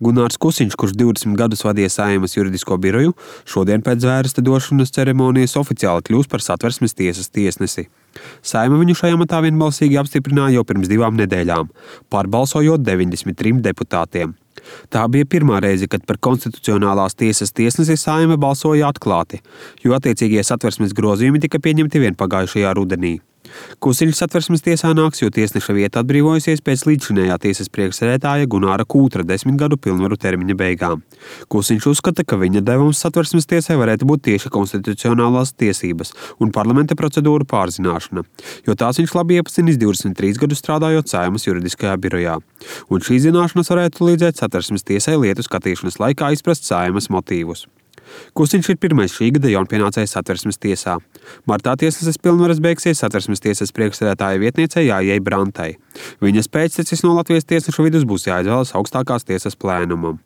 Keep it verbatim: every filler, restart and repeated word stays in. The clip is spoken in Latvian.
Gunārs Kusiņš, kurš divdesmit gadus vadīja Saeimas juridisko biroju, šodien pēc zvērsta došanas ceremonijas oficiāli kļūs par Satversmes tiesas tiesnesi. Saeima viņu šajā amatā vienbalsīgi apstiprināja jau pirms divām nedēļām, pārbalsojot deviņdesmit trim deputātiem. Tā bija pirmā reize, kad par konstitucionālās tiesas tiesnesi Saeima balsoja atklāti, jo attiecīgie Satversmes grozījumi tika pieņemti vien pagājušajā rudenī. Kusiņš Satversmes tiesā nāks, jo tiesneša vieta atbrīvojusies pēc līdzšinējā tiesas priekšsēdētāja Gunāra Kūtra desmit gadu pilnvaru termiņa beigām. Kusiņš uzskata, ka viņa devums Satversmes tiesai varētu būt tieši konstitucionālās tiesības un parlamenta procedūru pārzināšana, jo tās viņš labi iepazinis divdesmit trīs gadus strādājot Saeimas juridiskajā birojā. Un šīs zināšanas varētu līdzēt Satversmes tiesai lietu skatīšanas laikā izprast Saeimas motīvus. Kusiņš ir pirmais šī gada jaunpienācējs Satversmes tiesā. Martā tiesneses pilnvaras beigsies Satversmes tiesas priekšsēdētāja vietniecei Jāijai Brantai. Viņas pēctecis no Latvijas tiesnešu vidus būs jāizvēlas augstākās tiesas plēnumam.